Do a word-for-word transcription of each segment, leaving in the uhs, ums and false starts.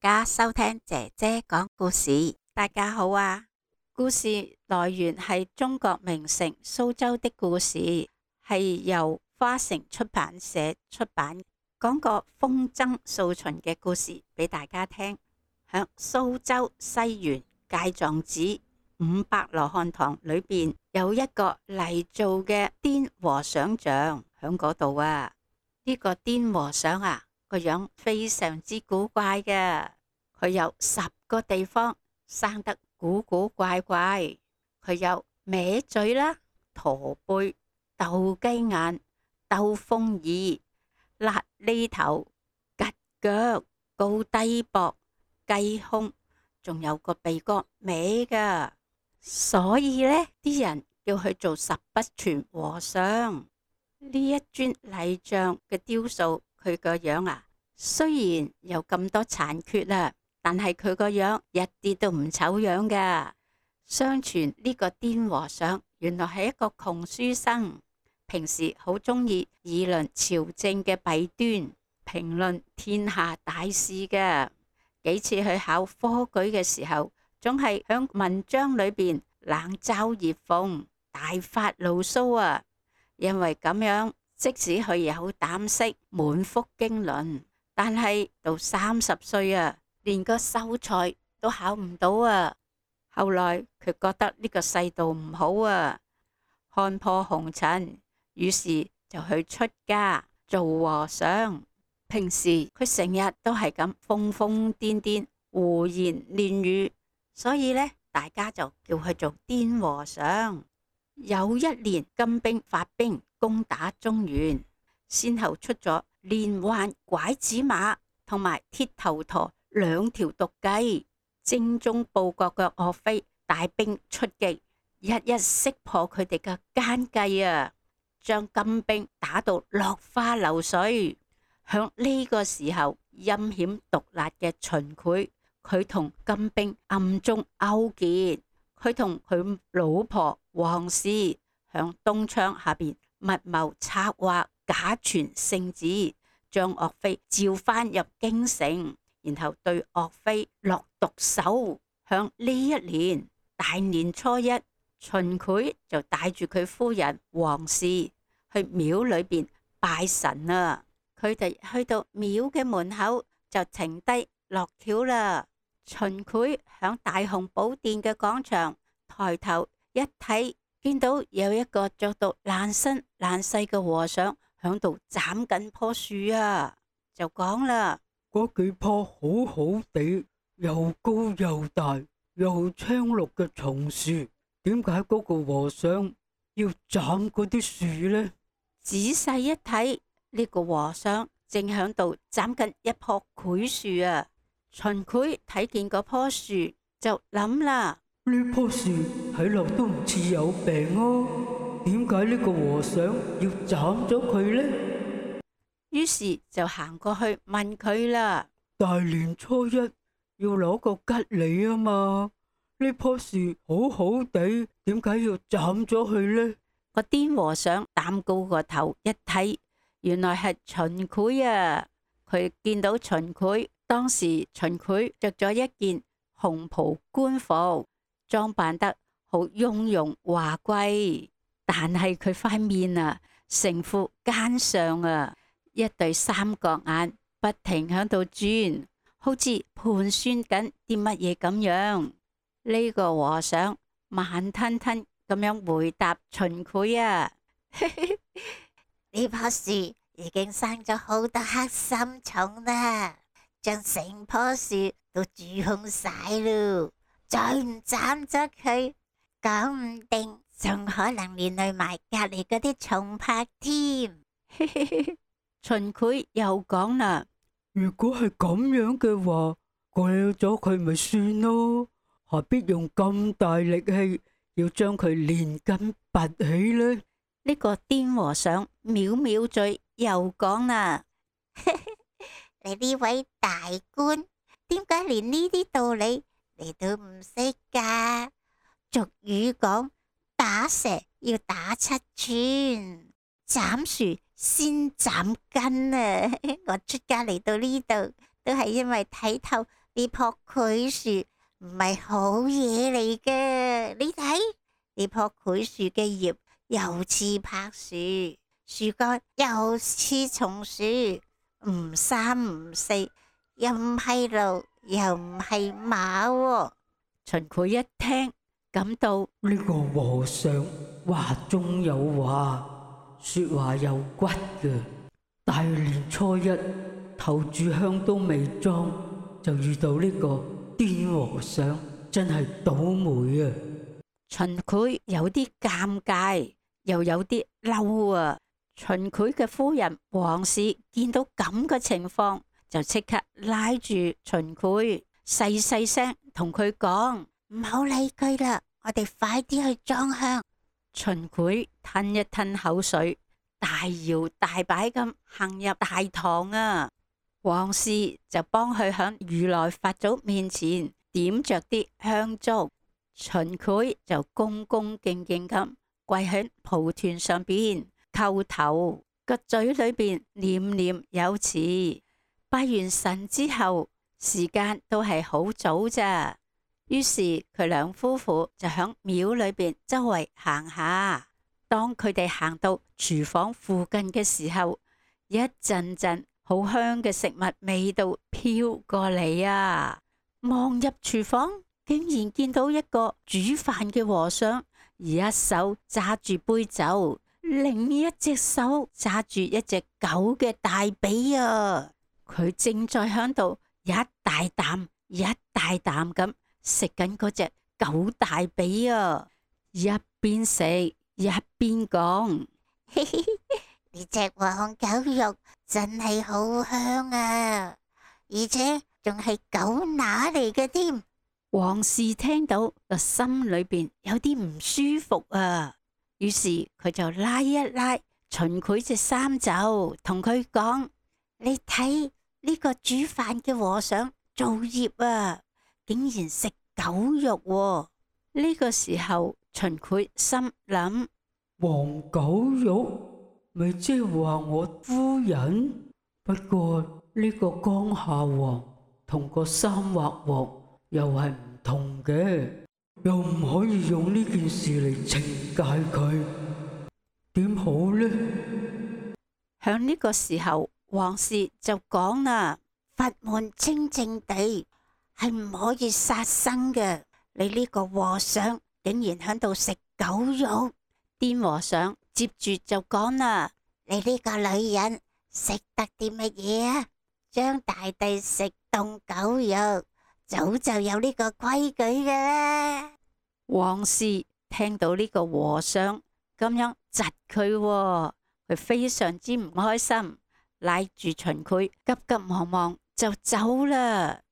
家收聽姐姐講故事。大家好啊！故事來源係中國名城蘇州的故事，係由花城出版社出版，講個風箏掃秦嘅故事俾大家聽。響蘇州西園戒藏寺五百羅漢堂裏邊有一個泥做嘅癲和尚像響嗰度啊！呢、這個癲和尚啊，個樣非常之古怪嘅，佢有十個地方生得古古怪怪，佢有歪嘴啦、駝背、鬥雞眼、兜風耳、瘌痢頭、吉腳、高低膊、雞胸，仲有個鼻哥歪噶，所以呢啲人叫佢做十不全和尚。呢一尊泥像嘅雕塑，佢個樣啊，雖然有咁多殘缺啦，但係佢個樣一啲都唔醜樣噶。相傳呢個癲和尚原來係一個窮書生，平時好中意議論朝政嘅弊端，評論天下大事嘅。幾次去考科舉嘅時候，總係響文章裏邊冷嘲熱諷，大發牢騷啊！因為咁樣，即使佢有膽識，滿腹經綸，但係到三十歲啊，連個秀才都考唔到啊！後來佢覺得呢個世道唔好啊，看破紅塵，於是就去出家做和尚。平時佢成日都係咁瘋瘋癲癲、胡言亂語，所以呢，大家就叫佢做癲和尚。有一年金兵發兵攻打中原，先後出咗連環拐子馬同埋鐵頭陀兩條毒計，精忠報國嘅岳飛帶兵出擊，一一識破佢哋嘅奸計啊，將金兵打到落花流水。響呢個時候，陰險毒辣嘅秦檜，佢同金兵暗中勾結，佢同佢老婆王氏響東窗下邊密謀策劃，假傳聖旨，將岳飛召翻入京城，然後對岳飛落毒手。響呢一年大年初一，秦檜就帶住佢夫人王氏去廟裏邊拜神啊！佢哋去到廟嘅門口就停低落轎啦。秦檜響大雄寶殿嘅廣場抬頭一睇，見到有一個着到爛身爛世嘅和尚響度斬緊棵樹啊，就講啦：嗰幾棵好好地又高又大又青綠嘅松樹，點解嗰個和尚要斬嗰啲樹呢？仔細一睇，呢個和尚正響度斬緊一棵檜樹啊！秦檜睇見嗰棵樹就諗啦：呢棵樹睇落都唔似有病啊，點解呢個和尚要斬咗佢呢？於是就行過去問佢啦：大年初一要攞個吉利啊嘛，呢棵樹好好地，點解要斬咗佢呢？個癲和尚擔高個頭一睇，原來係秦檜啊！佢見到秦檜，當時秦檜着咗一件紅袍官服，裝扮得好雍容華貴，但係佢塊面啊，成副奸相啊，一對三角眼不停響度轉，好似盤算緊啲乜嘢咁樣。呢個和尚慢吞吞咁樣回答秦檜啊：呢棵樹已經生咗好多黑心蟲啦，將成棵樹都蛀空晒咯，再唔斬咗佢，講唔定仲可能連累埋隔籬嗰啲蟲拍添。秦檜又講啦：如果係咁樣嘅話，鋸咗佢咪算咯，何必用咁大力氣要將佢連根拔起呢？呢個癲和尚藐藐嘴又講啦：你呢位大官，點解連呢啲道理你都唔識噶？俗語講，打蛇要打七寸，斬樹先斬根啊！我出家嚟到呢度，都係因為睇透呢棵檜樹唔係好嘢嚟嘅。你睇呢棵檜樹嘅葉又似柏樹，樹幹又似松樹，唔三唔四，又唔係驢，又唔係馬喎。秦檜一聽，感到呢個和尚話中有話，說話有骨嘅。大年初一頭炷香都未裝，就遇到呢個癲和尚，真係倒霉啊！秦檜有啲尷尬，又有啲嬲啊！秦檜嘅夫人王氏見到咁嘅情況，就即刻拉住秦檜，細細聲同佢講：唔好理佢啦，我哋快啲去裝香。秦檜吞一吞口水，大搖大擺咁行入大堂啊！王氏就幫佢響如來佛祖面前點着啲香燭，秦檜就恭恭敬敬咁跪喺蒲團上邊叩頭，個嘴裏邊念念有詞。拜完神之後，時間都係好早咋，於是佢兩夫婦就響廟裏邊周圍行下。當佢哋行到廚房附近嘅時候，一陣陣好香嘅食物味道飄過嚟啊！望入廚房，竟然見到一個煮飯嘅和尚，而一手揸住杯酒，另一隻手揸住一隻狗嘅大髀啊！佢正在響度一大啖一大啖咁食緊嗰隻狗大髀啊！一邊食一邊講：嘿嘿，呢隻黃狗肉真係好香啊，而且仲係狗乸嚟嘅添。王氏聽到個心裏邊有啲唔舒服啊，於是佢就拉一拉秦檜隻衫袖，同佢講：你睇呢個煮飯嘅和尚造業啊，竟然食狗肉喎。呢個時候秦檜心諗：黃狗肉咪即係話我夫人，不過呢個江夏王同個三劃王又係唔同嘅，又唔可以用呢件事嚟懲戒佢，點好呢？響呢個時候，王氏就講啦：佛門清淨地係唔可以殺生嘅，你呢個和尚竟然喺度食狗肉。癲和尚接住就講啦：你呢個女人食得啲乜嘢啊？張大帝食凍狗肉，早就有呢個規矩嘅啦。王氏聽到呢個和尚咁樣窒佢，佢非常之唔開心，拉住秦檜急急忙忙就走啦。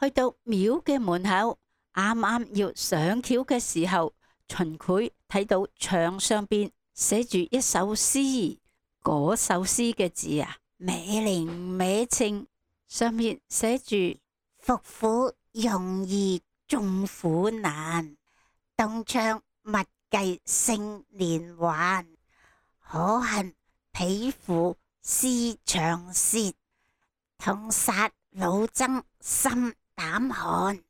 去到廟嘅門口，啱啱要上轎嘅時候，秦檜睇到牆上邊寫住一首詩，嗰首詩嘅字啊，歪靈歪稱，上面寫住：伏虎容易眾苦難，東窗勿計勝連環，可恨匹夫思長舌，痛殺老僧心膽寒。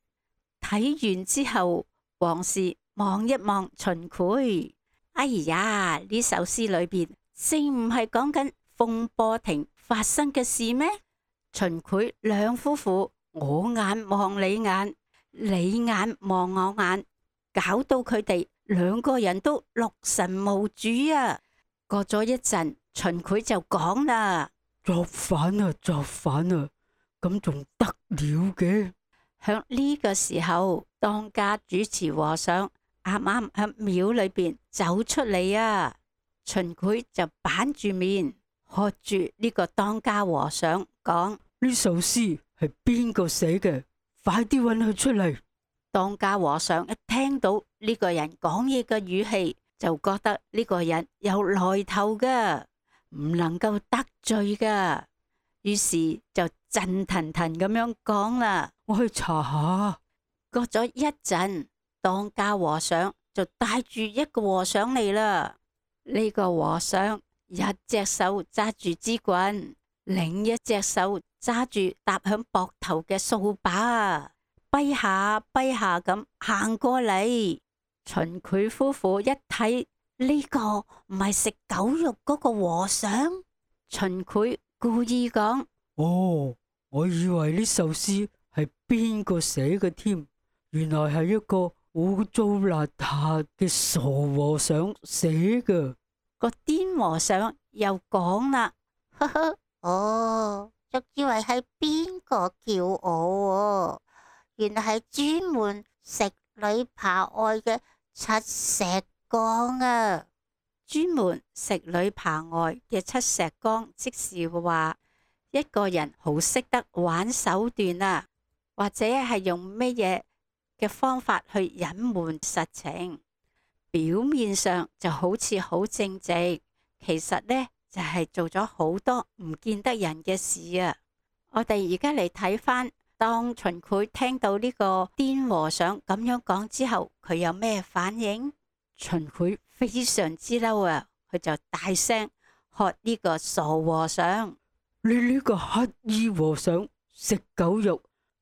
睇完之後，王氏望一望秦檜，哎呀，呢首詩裏邊正唔係講緊風波亭發生嘅事咩？秦檜兩夫婦我眼望你眼，你眼望我眼，搞到佢哋兩個人都六神無主啊！過咗一陣，秦檜就講啦：作反啊，作反啊，咁仲得了嘅？響呢個時候，當家主持和尚啱啱響廟裏邊走出嚟啊！秦檜就板住面，喝住呢個當家和尚講：呢首詩係邊個寫嘅？快啲搵佢出嚟！當家和尚一聽到呢個人講嘢嘅語氣，就覺得呢個人有來頭噶，唔能夠得罪噶，於是就震騰騰咁樣講啦：我去查下。過咗一陣，當家和尚就帶住一個和尚嚟啦。呢個和尚一隻手揸住支棍，另一隻手揸住搭響膊頭嘅掃把啊，跛下跛下咁行過嚟。秦檜夫婦一睇，呢個唔係食狗肉嗰個和尚。秦檜故意講：哦，我以為呢首詩係邊個寫嘅添，原來係一個污糟邋遢嘅傻和尚寫嘅。個癲和尚又講啦：呵呵，哦，仲以為係邊個叫我，原來係專門食女扒外嘅七石剛啊！專門食女扒外嘅七石剛，即是話一個人好識得玩手段啊，或者係用乜嘢嘅方法去隱瞞實情。表面上就好似好正直，其實呢就係做咗好多唔見得人嘅事啊！我哋而家嚟睇翻，當秦檜聽到呢個癲和尚咁樣講之後，佢有咩反應？秦檜非常之嬲啊！佢就大聲喝呢個傻和尚：你呢個乞衣和尚食狗肉，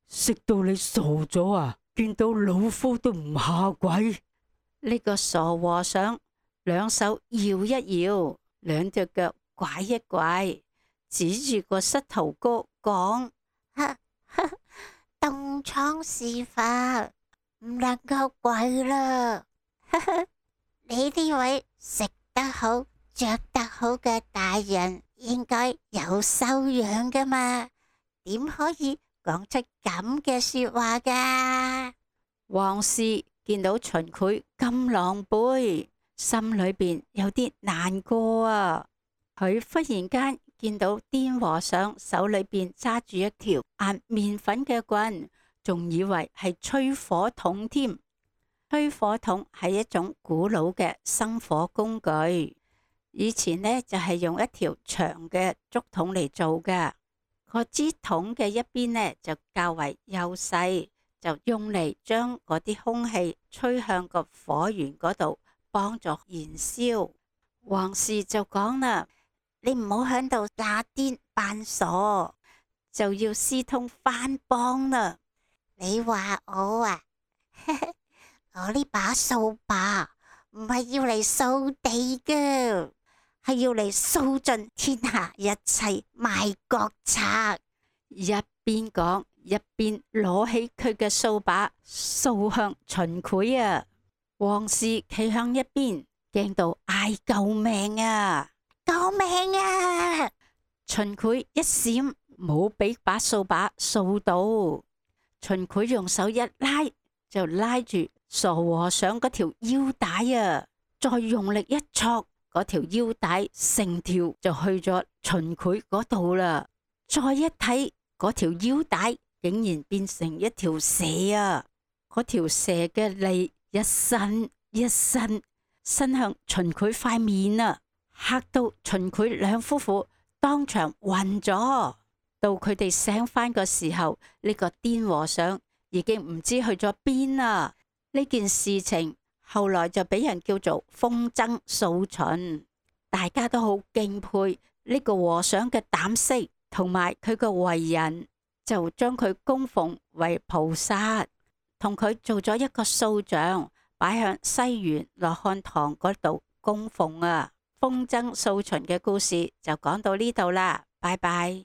食到你傻咗啊！見到老夫都唔下跪。呢個傻和尚兩手搖一搖，兩隻腳拐一拐，指住個膝頭哥講：東廠事發，唔能夠跪啦！你呢位食得好、着得好嘅大人，應該有修養噶嘛？點可以講出咁嘅說話噶？王氏見到秦檜咁狼狽，心裏邊有啲難過啊！佢忽然間見到癲和尚手裏邊揸住一條壓麵粉嘅棍，仲以為係吹火筒添。吹火筒係一種古老嘅生火工具，以前呢就係用一條長嘅竹筒嚟做嘅，個支筒嘅一邊呢就較為幼細，就用嚟將嗰啲空氣吹向個火源嗰度，幫助燃燒。王氏就講啦：你唔好響度假癲扮傻，就要私通番邦啦。你話我啊？我呢把掃把唔係要嚟掃地嘅，係要嚟掃盡天下一切賣國賊。一邊講一邊攞起佢嘅掃把掃向秦檜啊！王氏企向一邊，驚到嗌救命啊！救命啊！秦檜一閃，冇俾把掃把掃到。秦檜用手一拉，就拉住傻和尚嗰條腰帶啊！再用力一戳，嗰條腰帶成條就去咗秦檜嗰度啦。再一睇，嗰條腰帶竟然變成一條蛇啊！嗰條蛇嘅脷一伸一伸，伸向秦檜塊面啊！嚇到秦檜兩夫婦當場暈咗。到佢哋醒返個時候，呢個癲和尚已經唔知去咗邊啦。呢件事情後來就俾人叫做風箏掃秦，大家都好敬佩呢個和尚嘅膽識同埋佢嘅為人，就將佢供奉為菩薩，同佢做咗一個塑像，擺響西園羅漢堂嗰度供奉啊。風箏掃秦嘅故事就講到呢度啦，拜拜。